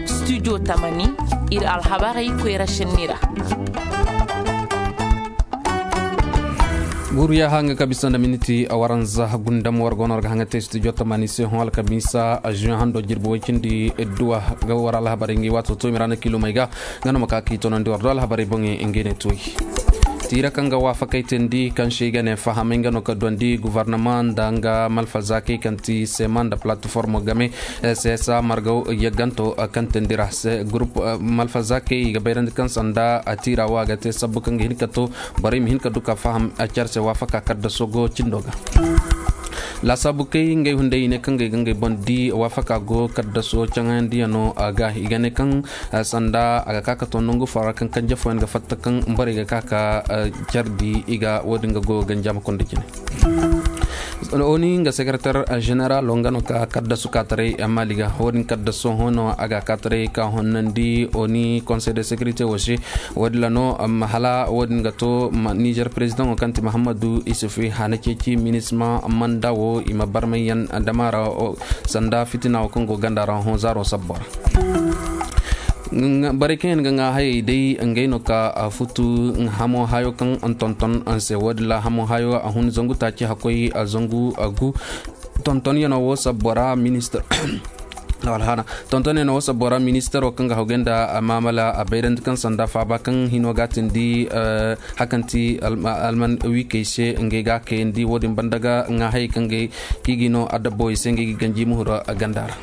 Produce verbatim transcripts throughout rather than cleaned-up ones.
Studio tamani, ir alhabarey koyra šenni ra. Guruya hanga kabisa nda miniti a waranza gundam war gono war ga hanga te studio tamani se hon alkamisa a juin hando jirbi way cindi duwa ga war alhabarey ngi wato to mirana kilomey ga. Nga no ma ka ki tonandi war do alhabarey boŋey ngi ne toy. Tiira kaŋ ga waafakay teendi kaŋ se i ga ne fahamay nga no ka duwandi guvarnama nda nga malfazakey kaŋ ti sema nda platiformo game. Sesa margaw yagganto kaŋ teendi ra se gurup malfazakey i ga bayrandi kaŋ sanda a tiira wo a ga te sabbu kaŋ ga hin ka to borey ma hin ka du ka faham care se waafaka kaddaso go cindo ga. Laasaabu kay ngey hunday i ne kaŋ ga ay ga ngey boŋ di waafaka go kaddaso caŋayandiyaŋo a ga i ga ne kaŋ sanda a ga ka ka to nangu foo ra kaŋ kanje fooyaŋ ga fatta kaŋ borey ga ka ka care di i ga wo- din ga goyo ganjaama kunda cine. Oni nga sekarater ženeral wo nga no ka kaddasu kaataray maali ga wo- din kaddaso hõ no a ga kaataray ka honnandi oni konsey de sekirite wo se. Wo- din ra no hala wo- din ga to nizer perezidaŋo kaŋ ti mahammadu isufi hana ceeci minisma manda wo i ma barmayyaŋ dama ra sanda fitina wo kaŋ go ganda ra hõ zaaro sabbo ra. Borey kaŋ yaŋ ga ŋaa hayey day ngey no ka futu hamo hayo kaŋ tonton se wo- din ra hamo hayo a hun zangu taaci hakkoy zangu gu. Tontonyaŋo wo sabbo ra ministir tontonyaŋo wo sabbo ra ministiro kaŋ ga hawgay nda maamala a bayrandi kaŋ sanda faaba kaŋ hino ga tindi hakanti alman wiikey se ngey ga kayandi wo- din banda ga ŋaa hayey kaŋ ga kiigi no adabbo i se ngey ga ganji muhuro ganda ra.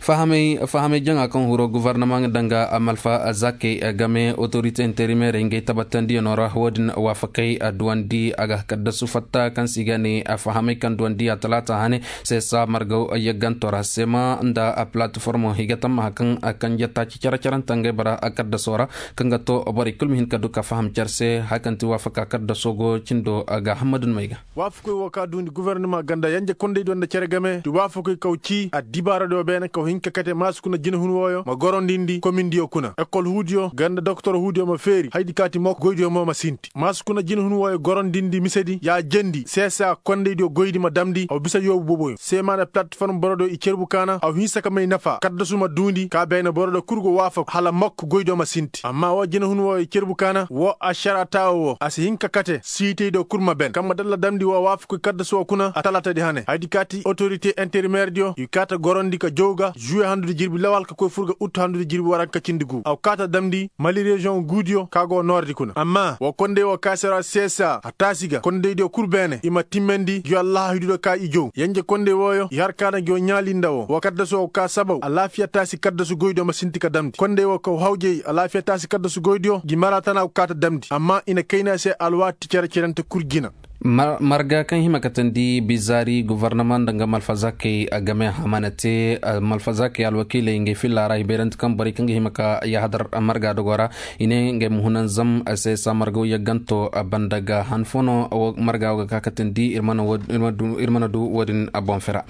Fahamay jaŋa kaŋ huro guvarnama nga danga malfa zakey game otorite interimerey ngey tabatandiyano ra wo- din waafakay duwandi a ga kaddasu fatta kaŋ se i ga ne fahamay kaŋ duwandi a talaata hane. Sesa margaw yagganto ra sema nda a palatiformo i ga tammaha kaŋ a kanje taaci care-carante ngey bara a kaddaso ra kaŋ ga to borey kul ma hin ka du ka faham care se haya kaŋ ti waafaka kaddaso go cindo ga hammadun may ga. Waafakoy wo ka duundi gofornama ganda yanje kondey do nda cere game ti waafakoy kaw cii addibaaradiyo beene kaw hin ka kate maasi kuna jinahun wooyo ma gorondindi komindiyo kuna ekol huudiyo ganda doktor huudiyo ma feeri haydi ka ti mok goydiyo mo ma sinti maasi kuna jinahun wooyo gorondindi misedi ya jendi seesa kondeydiyo goydi ma damndi haw bisa yoobu boboyo seema nda palatiform borodiyo i cerbu kaana haw hinsa ka may nafa kaddasu ma duundi ka beene borodiyo kul go waafaku hala mok goydiyo ma sinti amma woo jinahun wooyo i cerbu kaana woo ašara taawo woo a si hin ka kate siitaydiyo kul ma ben kaŋ ma dalla damndi woo waafakoy kaddasu woo kuna a talaatadi hane haydi ka ti otorite interimerdiyo i kaa ta gorondi ka jow ga žuwe handudi jirbi lawal ka koy fur ga ut handudi jirbi waranka cindi gu a kaa ta damndi mali reziyoŋ guudiyo ka go noordi kuna amma woo kondey woo ka se ra seesa a taasi ga kondeydiyo kul beene i ma timmandi ngi wallaahidudiyo ka i jow yenje kondey wooyo i har kaana ngi woo ɲaali nda woo woo kaddasu woo ka sabaw alaafiya taasi kaddasu goydiyo ma sinti ka damndi kondey woo kaw hawjey alaafiya taasi kaddasu goydiyo ngi mara tana go kaa ta damndi amma i na kayna se alwaati cere-cerante kul jina. Marga kaŋ hima katandi bizaari gofornama nda nga malfazakey game a mana te malfazakey alwakiiley ngey filla ra i bayrante kaŋ borey kaŋ ga hima ka yahadar marga dogo ra i ne ngey ma hunanzam se sa marga wo yagganto banda ga han fo no marga wo ga ka katandi ir mana du wo- din boŋ fera.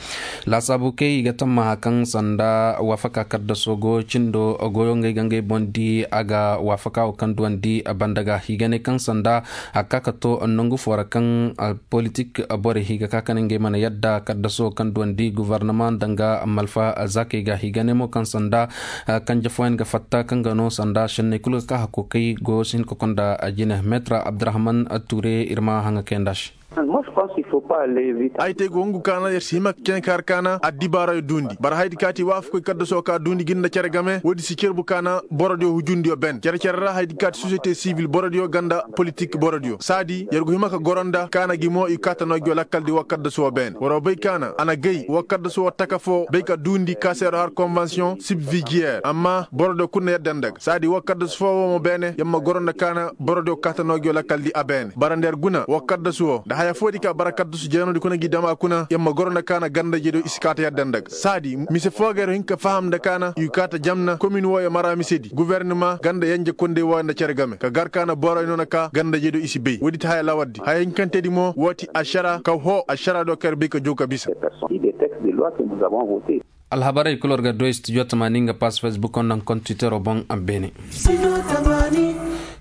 Laasaabu kay i ga tammaha kaŋ sanda waafaka kaddaso go cindo goyo ngey ga ngey boŋ di a ga waafaka wo kaŋ duwandi banda ga i ga ne kaŋ sanda a ga ka ka to nangu fo ra kaŋ politik borey i ga ka ka ne ngey mana yadda kaddaso kaŋ duwandi gofornama nda nga malfa zakey ga i ga ne mo kaŋ sanda kanje fooyaŋ ga fatta kaŋ ga no sanda šenney kul ga ka hakko kay goyo si hin ka konda jine metra abdurahman ture ir ma haŋa kayanda se. Ay te go hungu kaana yer si hima ka cene ka har kaana addibaarayo duundi bara haydi kaati waafakoy kaddaso ka duundi ginda cere game woodi si cerbu kaana borodiyo hujundiyo ben cere-cere ra haydi kaati sosiyete sibil borodiyo ganda politik borodiyo saadi yer go hima ka goro nda kaana gi mo i kaata no gi wa lakkaldi wa kaddaso wo beene waroo bay kaana a na gay wa kaddaso wo taka foo bay ka duundi ka se yer har konvensiyoŋ sibvijiyeer amma borodiyo kul na yadda nda ga saadi wa kaddasu foo woo mo beene yer ma goro nda kaana borodiyo kaata no gi wa lakkaldi a beene bara nda yer guna wa kaddasu woo nda haya foodi ka bara kaddasu jeenodi kuna gi dam a kuna yer ma goro nda kaana ganda-ijediyo i si kaata yadda nda ga saadi mise foo ga yer hin ka faham nda kaana i kaata jamna komin wooyo mara misedi guvernama ganda yenje kondey wooyo nda cere game ka gar kaana boroyo no na ka ganda-ijediyo i si bay woodi ti haya lawardi haya hinkantedi mo woo ti ašara ka hoo ašaradiyo ka yer bay ka jow ka bisa. Alhabarey kul war ga doy studio tamaani nga pass facebook nda nga kontitero boŋ a beene.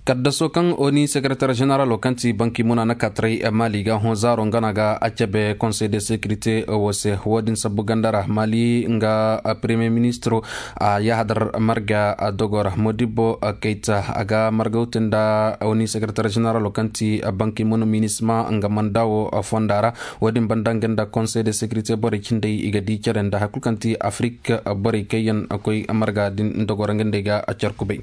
Kaddaso kaŋ oni sekeretar ženeralo kaŋ ti banki muna na kataray mali ga hõ zaaro nga na ga a cabe konsey de sekirite wo se wo- din sabbu ganda ra mali nga premier ministro a yahadar marga dogo ra modibbo kayta a ga margawte nda oni sekeretar ženeralo kaŋ ti banki muna minisma nga manda wo fonda ra. Wo- din banda nga nda konsey de sekirite borey cindey i ga di care nda hari kulu kaŋ ti afrik borey kaŋ yaŋ koy marga din dogo ra nga nd'ey ga carkubay.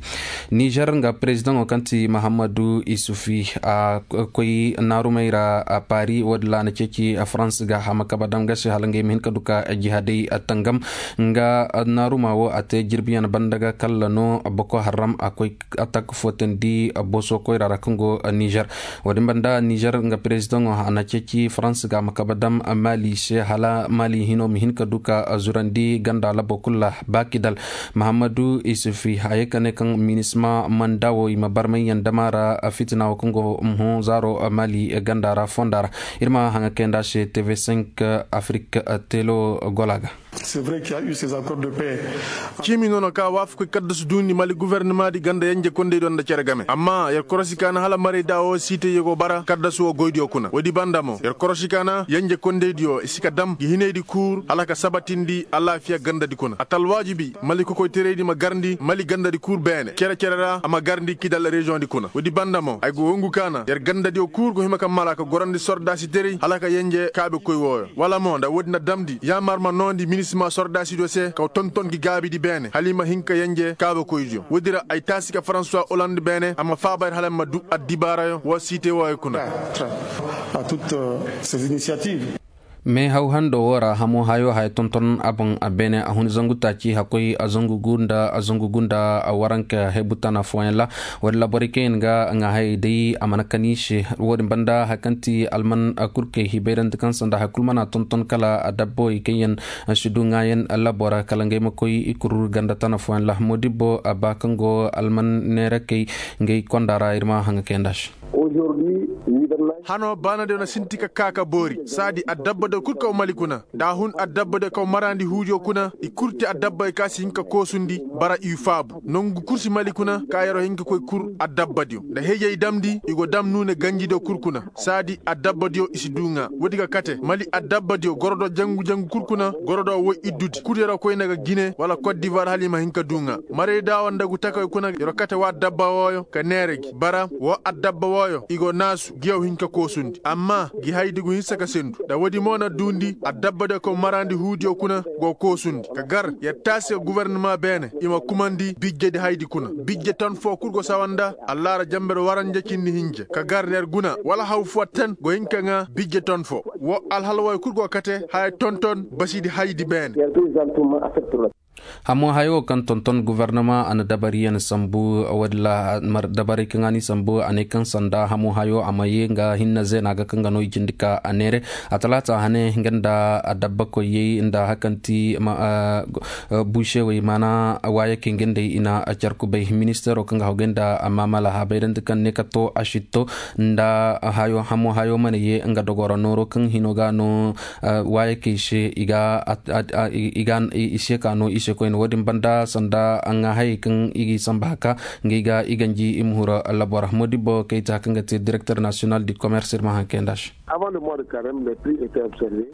Nizer nga perezidaŋo kaŋ ti mahammadu isufi a koy naarumey ra pari wo- din ra a na ceeci farans ga hama kaba dam ga se hala ngey ma hin ka du ka jihadey tangam nga naaruma wo a te jirbiyaŋ banda ga kalla no boko haram a koy atak fotandi boso koyra ra kaŋ go nizer. Wo- din banda nizer nga perezidaŋo a na ceeci farans ga ma kaba dam mali se hala mali hino ma hin ka du ka zurandi ganda labo kulu ra ba kidal. Mahammadu isufi a ye ka ne kaŋ minisma manda wo i ma barmay yaŋ dama ra fitina wo kaŋ go hõ zaaro mali ganda ra fonda ra. Ir ma haŋa kayanda se tv cinq afrik telo gola ga. Ciimi no no ka waafakoy kaddasu duundi mali gufornama di ganda yenje kondey do nda cere game amma yer korosi ka na hala marayda wo siitey yer go bara kaddasu wo goydiyo kuna woodi banda mo yer korosi ka na yenje kondeydiyo i si ka dam gi hinaydi kuur hala ka sabatindi alaafiya gandadi kuna a ta alwaajibi mali kokoyteraydi ma garndi mali gandadi kuur beene cere-cere ra a ma garndi kidal reziyoŋdi kuna woodi banda mo ay go wongu ka na yer gandadiyo kuur go hima ka mala ka gorandi sordaasiterey hala ka yenje kaabekoy wooyo wala mo nda woodi na damndi yaamar ma noondi minisma sordaasidiyo se kaw tonton gi gaabidi beene hala i ma hin ka yenje kaabekoydiyo woodi ra ay taasi ka faransuwa oland beene a ma faaba yer hala ma du addibaarayo woo siitey wooyo kuna. Mais haw hando wo ra hamo hayo haya tonton a boŋ a beene a hun zangu taaci hakkoy a zangu gu nda a zangu gu nda a waranka hebu tana fooyaŋ ra. Wala laborey kaŋ yaŋ ga ŋaa hayey day a mana kan i se wo- din banda hari kaŋ ti alman kurkey hibayrandi kaŋ sanda hari kulu mana tonton kala a dabboy kaŋ yaŋ si du ŋaayan labo ra kala ngey ma koy i kurur ganda tana fooyaŋ ra moodibbo a ba kaŋ go alman neerakey ngey konda ra ir ma haŋa kayanda se. Hano baanadiyo na sinti ka ka ka boori saadi addabbadiyo kul kaw mali kuna da a hun addabbadiyo kaw maraandi huudiyo kuna i kul te addabbadiyo ka si hin ka koosundi bara i faabu nongu kul si mali kuna ka yer'o hin ka koy kul addabbadiyo nda hejey damndi i go dam nuune ganjidiyo kul kuna saadi addabbadiyo i si du ŋaa woodi ga kate mali addabbadiyo gorodo jangu-jangu kul kuna gorodo woy iddudi kul yer'o koyne ga gine wala kot divoir hala i ma hin ka du ŋaa marayda wo nda gu takoy kuna yer'o kate woo addabba wooyo ka neera gi bara woo addabba wooyo i go naasu gi yaw hin ka koosundi amma gi haydi gu hinsa ka sendu nda woodi mo na duundi adabba de ko maraandi huudiyo kuna go koosundi ka gar yer taasi ka gufornama beene i ma kumandi bijjedi haydi kuna bijje ton foo kul go sawa nda allaara jember waranja cindi hinja ka gar yer guna wala haw foo ten go hin ka ŋaa bijje ton foo woo alhala wooyo kul go kate haya tonton basidi haydi beene. Hamo hayo kaŋ tonton gufornama a na dabariyaŋ sambu walla dabaray kaŋ a n'i sambu a ne kaŋ sanda hamo hayo a ma ye nga hinne zeena ga kaŋ ga no i cindi ka a neere a talaata hane nga nda adabba koyey nda hari kaŋ ti buusewey maana waayakey nga nd'ey i na carkubay ministeero kaŋ ga haw gay nda maamala habayrandi kaŋ ne ka to a sitto nda hayo hamo hayo mana ye nga dogoro nooro kaŋ hino ga no waayakey se i ga i se ka no i se koyne wo-din banda sanda ŋaahayey kaŋ i ga i samba haka nga i ga i ganji i ma huru labora modibbo kayta kaŋ ga te direkter nasiyonal di komerse ir ma haŋ kayanda se.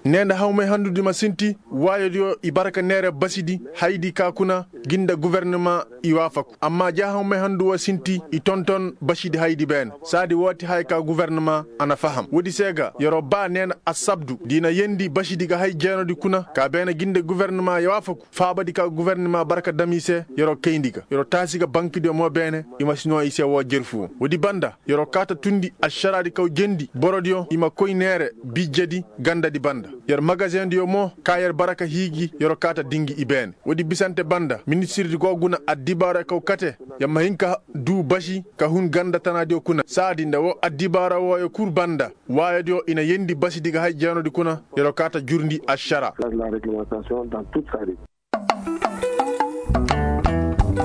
Ne nda hawmay handudi ma sinti waayodiyo i bara ka neere basidi haydi ka kuna gi nda gufornama i waafaku amma ja hawmay handu wo sinti i tonton basidi haydi beene saadi woo ti haya ka gufornama a na faham woodi se ga yer'o ba ne na assabdu da i na yeendi basidi ga hay jeenodi kuna ka beene gi nda gufornama i waafaku faabadi ka gufornama bara ka dam i se yer'o kayndi ga yer'o taasi ga bankidiyo mo beene i ma si noo i se woo jerfu woo woodi banda yer'o kaa ta tundi ašaraadi kaw jendi borodiyo i ma koy neere bijjedi gandadi banda yer magazendiyo mo ka yer bara ka hiiji yer'o kaa ta dingi i beene woodi bisante banda ministirdi go guna addibaarey kaw kate yer ma hin ka duu basi ka hun ganda tanaadiyo kuna saadi nda woo addibaara wooyo kul banda waayodiyo i na yeendi basidi ga hay jeenodi kuna yer'o kaa ta jurndi ašara.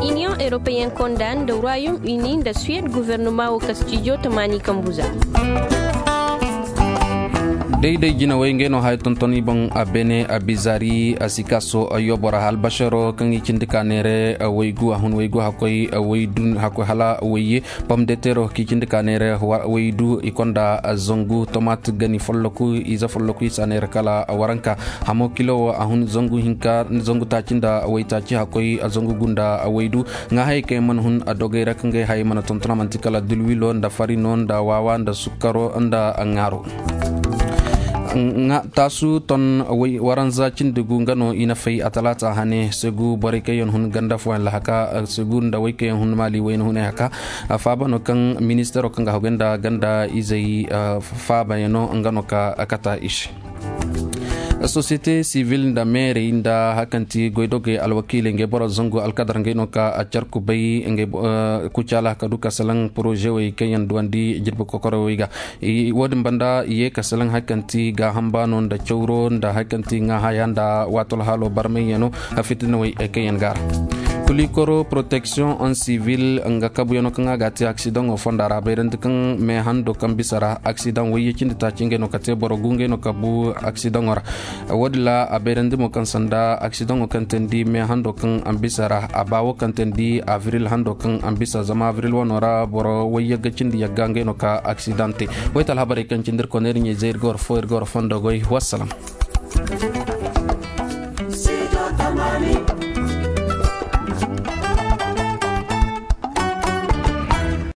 Iniyoŋ eropeyen konda nda royom ini nda suwed guvernama wo kastijo tamaani kambuza. Day-day jinawey ngey no haya tonton i boŋ. A bene a bizari a sikaso yobora albasaro kaŋ i cindi ka neere waygu a hun waygu hakkoy waydu hakkoy hala wayye. Pom de tero ka i cindi ka neere waydu i konda zangu tomat gani folloku ize folloku i sa neere kala waranka. Hamo kilo wo a hun zangu hinka zangu taaci nda waytaaci hakkoy zangu gunda waydu. Ŋaa hayey kaŋ yaŋ mana hun a dogey ra kaŋ ga ay hayey mana tonton a manti kala dulwilo nda farino nda waawa nda sukkaro nda ŋaaro. Taasu ton waranza cindi gu nga no i na fay a talaata hane segu borey kaŋ yaŋ hun ganda fooyaŋ lahaka segu nda wey kaŋ yaŋ hun maali wayna hunay haka. Faaba no kaŋ ministeero kaŋ ga haggoy nda ganda izey faabayaŋo nga no ka kata i se. Sosiyete sivil nda meerey nda hari kaŋ ti goydogey alwakiiley ngey boro zangu alkadar ngey no ka a car kubay ngey kucaala ka du ka salaŋ poroze wey kaŋ yaŋ duwandi jirbi kokorowey ga. Wo-din banda i ye ka salaŋ hari kaŋ ti gaaham baano nda cawro nda hari kaŋ ti ŋaahaya nda waato alhaalo barmayyaŋo. Fitinawey kaŋ yaŋ ga a ra kulikoro poroteksiyoŋ on sivil nga kabuyaŋo kaŋ a ga a te aksidaŋo fonda ra a bayrandi kaŋ meehando kaŋ bisa ra aksidaŋ wayye cindi taaci ngey no ka te boro gu ngey no ka bu aksidaŋo ra. Wo-din ra a bayrandi mo kaŋ sanda aksidaŋo kaŋ teendi meehando kaŋ a bisa ra a ba wo kaŋ teendi avril hando kaŋ a bisa zama avril wano ra boro wayye ga cindi yagga ngey no ka aksidaŋ te. Wayta alhabarey kaŋ cindi ir koneeri ɲey zey ir ga war fo ir ga war fondo goy wassalam.